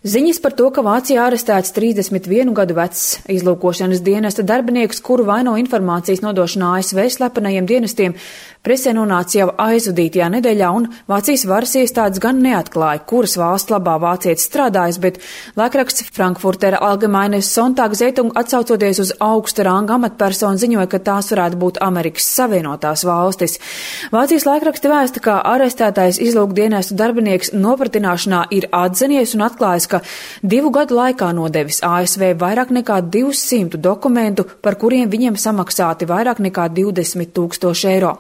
Ziņas par to, ka Vācijā arestēts 31 gadu vecs izlūkošanas dienesta darbinieks, kuru vaino informācijas nodošanā ASV slepenajiem dienestiem, presē nonāca jau aizvadītajā nedēļā, un Vācijas varas iestādes gan neatklāja, kuras valsts labā vācietis strādājas, bet laikraksts Frankfurter Allgemeine Sonntagszeitung atsaucoties uz augsta ranga amatpersonu ziņoja, ka tās varētu būt Amerikas Savienotās valstis. Vācijas laikraksti vēsta, ka arestētais izlūkdienestu darbinieks nopratināšanā ir atzinies un atklājis, ka 2 gadu laikā nodevis ASV vairāk nekā 200 dokumentu, par kuriem viņiem samaksāti vairāk nekā 20 000 eiro.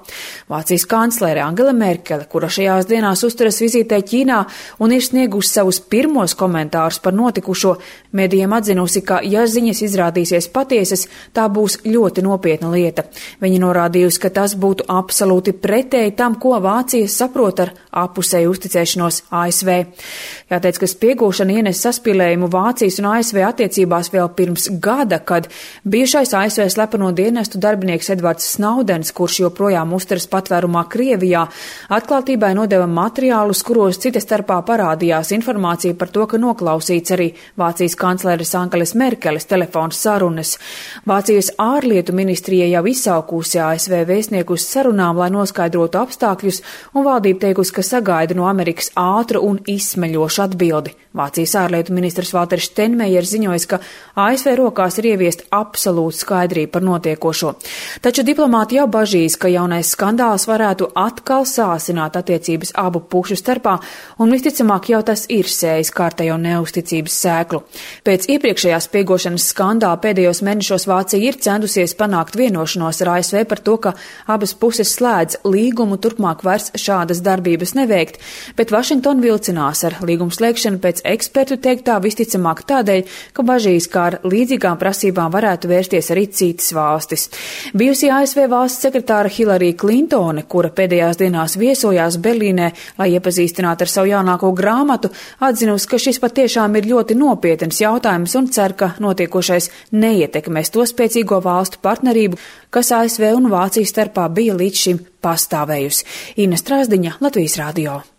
Vācijas kanclere Angela Merkele, kura šajās dienās uzturas vizītē Ķīnā un ir sniegusi savus pirmos komentārus par notikušo, medijiem atzinusi, ka, ja ziņas izrādīsies patiesas, tā būs ļoti nopietna lieta. Viņa norādījusi, ka tas būtu absolūti pretēji tam, ko Vācija saprot ar apusēju uzticēšanos ASV. Jāteic, ka spiegūšana ienes saspīlējumu Vācijas un ASV attiecībās vēl pirms gada, kad bijušais ASV slepeno dienestu darbinieks Edvards Snowdens, kurš joprojām uzturas patvērumā Krievijā, atklātībai nodeva materiālus, kuros cita starpā parādījās informācija par to, ka noklausīts arī Vācijas kancleres Angelas Merkeles telefona sarunas. Vācijas ārlietu ministrija jau izsaukusi ASV vēstnieku uz sarunām, lai noskaidrotu apstākļus, un valdība teikusi, ka sagaida no Amerikas ātru un izsmeļošu atbildi. Vācijas ārlietu ministrs Valters Steinmeiers ziņojas, ka ASV rokās ir ieviest absolūta skaidrība par notiekošo. Taču diplomāti jau bažīs, ka jaunais skandāls varētu atkal sāsināt attiecības abu pušu starpā, un visticamāk jau tas ir sējis kārtējo neusticības sēklu. Pēc iepriekšējās spiegošanas skandāla pēdējos mēnešos Vācija ir centusies panākt vienošanos ar ASV par to, ka abas puses slēdz līgumu turpmāk vairs šādas darbības neveikt, bet Vašingtona vilcinās ar līgumu slēgšanu pēc ekspertu teiktā visticamāk tādēļ, ka bažīs, kā ar līdzīgām prasībām varētu vērsties arī citas valstis. Bijusī ASV valsts sekretāra Hillary Clintone, kura pēdējās dienās viesojās Berlīnē, lai iepazīstinātu ar savu jaunāko grāmatu, atzinusi, ka šis patiešām ir ļoti nopietns jautājums un cer, ka notiekošais neietekmēs to spēcīgo valstu partnerību, kas ASV un Vācijas starpā bija līdz šim pastāvējusi. Ina Strāzdiņa, Latvijas radio.